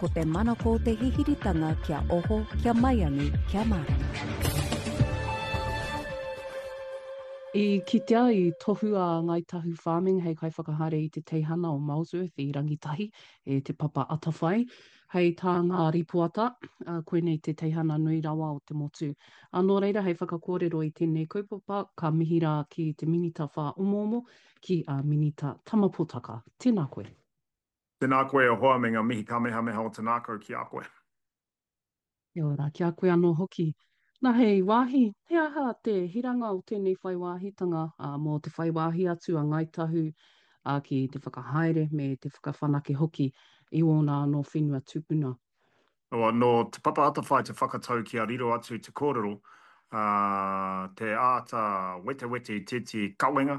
Ko te manako te hihiritanga kia oho, kia maiangi, kia mārama. I kitea, i tohua a Ngāi Tahu Farming hei kaiwhakahaere i te teihana o Molesworth i Rangitahi e Te Papa Atawhai. Hei tā ngā rīpoata, koinei te teihana nui rawa o te motu. Ā, nō reira, hei whakakōrero i tēnei kaupapa, ka mihi rā ki te Minita Whāomoomo, ki a Minita Tama Potaka. Tēnā koe. Tēnā koe e hoa me ngā mihi kamehameha o te ngākau ki a koe. Kia ora ki a koe anō hoki. Na hei wāhi, he aha te hiranga o tēnei whai wāhitanga mō te whai wāhi atu a Ngāi Tahu ki te whakahaere me te whakawhanake hoki i ōna anō whenua tupuna? Nō Te Papa Atawhai te whakatau kia riro atu te kōrero, ā, te āta wetewete i tētehi kawenga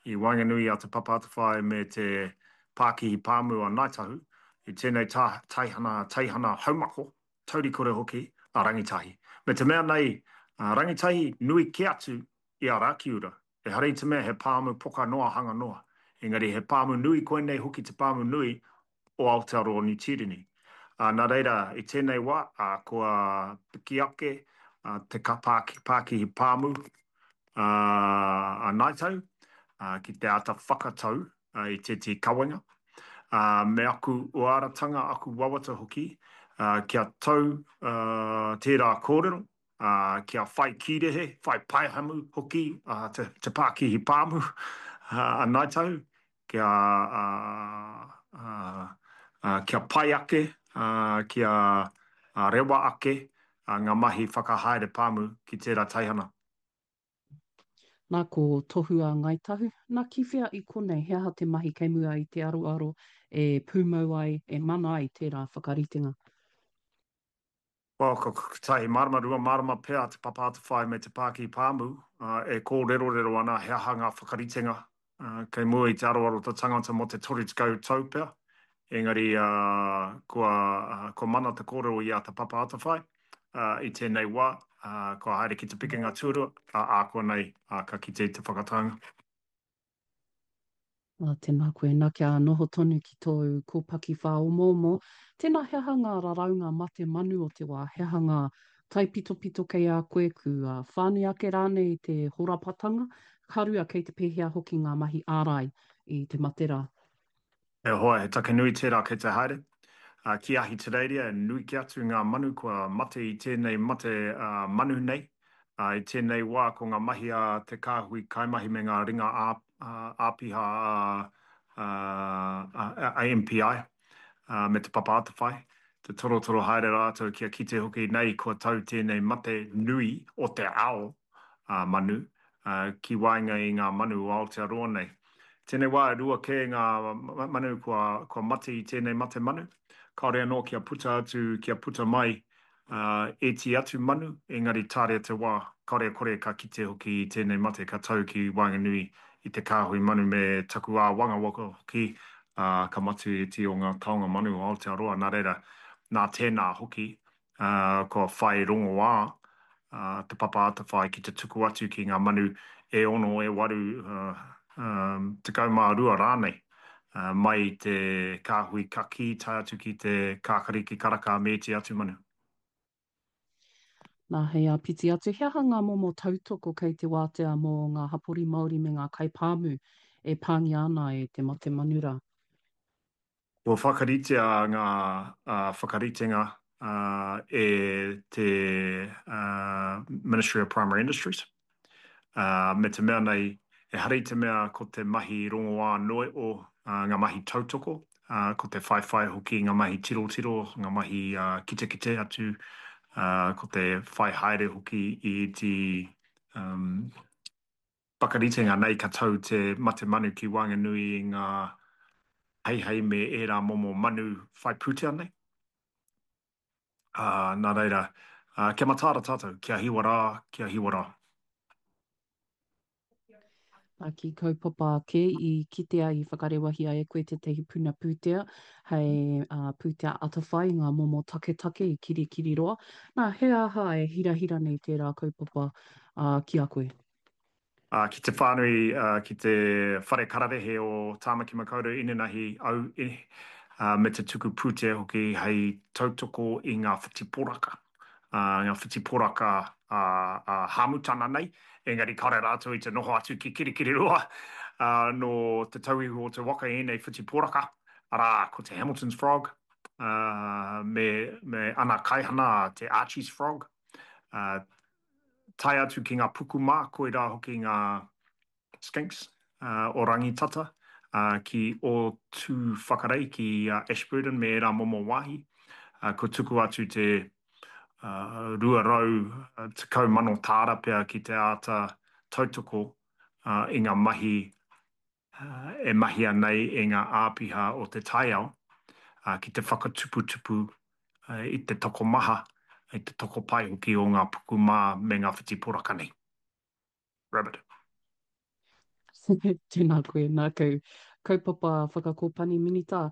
i waenganui i a Te Papa Atawhai me te Pākihi Pāmu a Ngāi Tahu i tēnei taihana, teihana haumako, taurikore hoki, a Rangitahi. Me te mea nei, a Rangitahi nui kē atu i a Rakiura. Ehara i te mea he pāmu poka noa hanga noa, engari he pāmu nui koinei hoki te pāmu nui o Aotearoa Niu Tīreni. Ā, nā reira, i tēnei wā, ā, kua piki ake te pākihi pāmu a Ngāi Tahu ki te āta whakatau i tētehi kawenga, ā, me aku uaratanga, aku wawata hoki, kia tau tērā kōrero, ā, kia whai kīrehe, whai paehamu hoki te pākihi pāmu a Ngāi Tahu, kia, kia pai ake, kia rewa ake ngā mahi whakahaere pāmu ki tērā teihana. Nā, ko Tohu a Ngāi Tahu. Nā, ki whea i konei, he aha te mahi kei mua i te aroaro e pūmau ai, e mana ai tērā whakaritenga? Well, ko kotahi marama, 2 marama pea Te Papa Atawhai me Te Pākihi Pāmu e kōrerorero ana he aha ngā whakaritenga kei mua i te aroaro te tangata mō te 30 tau pea. Engari kua, kua mana te kōrero i a Te Papa Atawhai i tēnei wā, kua haere ki te pikinga tuarua, ā, ākuanei ka kite i te whakataunga. Ā, tēnā koe, nā kia noho tonu ki tōu kōpaki whāomoomo, tēnā he aha ngā raraunga mate manu o te wā, he aha ngā taipitopito kei a koe, kua whānui ake rānei te horapatanga, ka rua kei te pēhea hoki ngā mahi ārai i te mate rā? E hoa, he take nui tērā kei te haere. Ki Ahitereiria, nui kē atu ngā manu kua mate i tēnei mate manu nei. I tēnei wā, ko ngā mahi a te kāhui kaimahi me ngā ringa āpiha a MPI me Te Papa Atawhai, te torotoro haere rātou kia kite hoki nei kua tau tēnei mate nui o te ao manu ki waenga i ngā manu o Aotearoa nei. Tēnei wā e rua kē ngā manu kua mate i tēnei mate manu. Kāore anō kia puta atu, kia puta mai ēti atu manu, engari tāria te wā, kāore e kore ka kite hoki i tēnei mate ka tau ki waenganui i te kāhui manu me taku āwangawanga hoki, ā, ka matu ēti o ngā taonga manu o Aotearoa. Nā reira, nā tēnā hoki, ā, kua whai rongoā Te Papa Atawhai ki te tuku atu ki ngā manu e ono, e waru, 12 rānei, mai i te kāhui kakī tae atu ki te kākariki karaka me ēti atu manu. Nā, hei āpiti atu, he aha ngā momo tautoko kei te wātea mō ngā hapori Māori me ngā kaipāmu e pāngia ana e te mate manu rā? Kua whakaritea ngā whakaritenga e te Ministry of Primary Industries, me te mea nei, ehara i te mea ko te mahi rongoā noa o ngā mahi tautoko, ko te whaiwhai hoki ngā mahi tirotiro, ngā mahi kitekite atu, ko te whai haere hoki i ētehi Whakaritenga nei ka tau te mate manu ki waenganui i ngā heihei me ērā momo manu whai pūtea nei. Ā, nā reira, kia mataara tātou, kia hiwa rā, kia hiwa rā. Nā, ki kaupapa ake i kitea, i whakarewahia e koe tētahi puna pūtea hei pūtea atawhai i ngā momo taketake i Kirikiriroa. Nā, he aha e hirahira nei tērā kaupapa ki a koe? Ā, ki te whānui, ā, ki te whare kararehe o Tāmaki Makaurau inanahi au, ā, me te tuku pūtea hoki hei tautoko i ngā whiti poraka, ngā whiti poraka ā-hāmutana nei, engari kāore rātou i te noho atu ki Kirikiriroa, nō Te Tauihu o te Waka ēnei whiti poraka, arā, ko te Hamilton's Frog, me, me ana kaihana, te Archie's Frog, tae atu ki ngā pukumā, koirā hoki ngā skinks, o Rangitata, ki Ōtūwhakarei, ki Ashburton me ērā momo wāhi. Kua tuku atu te 210,000 tāra pea ki te āta tautoko i ngā mahi e mahia nei e ngā āpiha o te taiao ki te whakatuputupu i te tokomaha, i te tokopae hoki o ngā pukumā me ngā whiti poraka nei. Rabbit. Tēnā koe, nāku. Kaupapa whakakōpani Minita.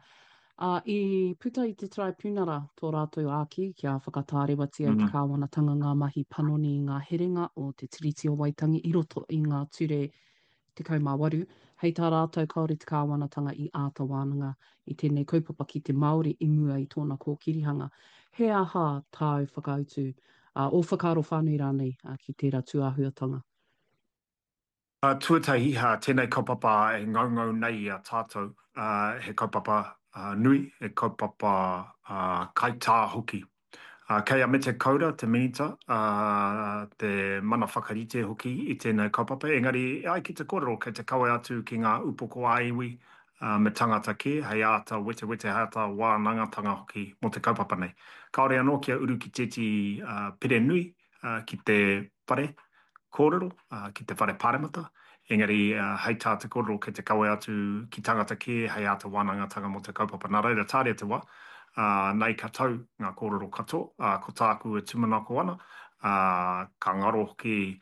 Ā, i puta i te Taraipiunara tō rātou āki kia whakatārewatia e te Kāwanatanga ngā mahi panoni i ngā herenga o te Tiriti o Waitangi i roto i ngā ture 18, hei tā rātou kāore te Kāwanatanga i āta wānanga i tēnei kaupapa ki te Māori i mua i tōna kōkirihanga. He aha tāu whakautu ā, ō whakaaro whānui rānei ki tērā tūāhuatanga? Tuatahi, tēnei kaupapa e ngaungau nei i a tātou, he kaupapa nui, he kaupapa kaitā hoki. Kei a Mete Kaura, te Minita, te mana whakarite hoki i tēnei kaupapa, engari e ai ki te kōrero kei te kawe atu ki ngā upoko ā-iwi me tangata kē, hei āta wetewete, hei āta wānangatanga hoki mō te kaupapa nei. Kāore anō kia uru ki tētehi pire nui ki te whare kōrero, ki te whare pāremata, engari hei tā te kōrero kei te kawe atu ki tangata kē hei āta wānangatanga mō te kaupapa. Nā reira, tāria te wā, nei ka tau ngā kōrero katoa, ā, ko tāku e tūmanako ana, ā, ka ngaro hoki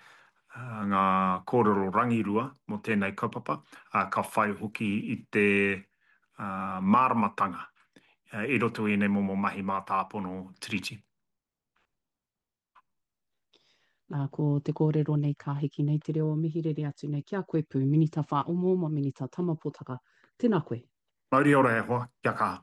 ngā kōrero rangirua mō tēnei kaupapa, ā, ka whai hoki i te māramatanga i roto i ēnei momo mahi mātāpono Tiriti. Nā, ko te kōrero nei ka hiki nei te reo o mihi rere atu nei ki a koe pū, Minita Whāomoomo, Minita Tama Potaka. Tēnā koe. Mauri ora e hoa, kia kaha.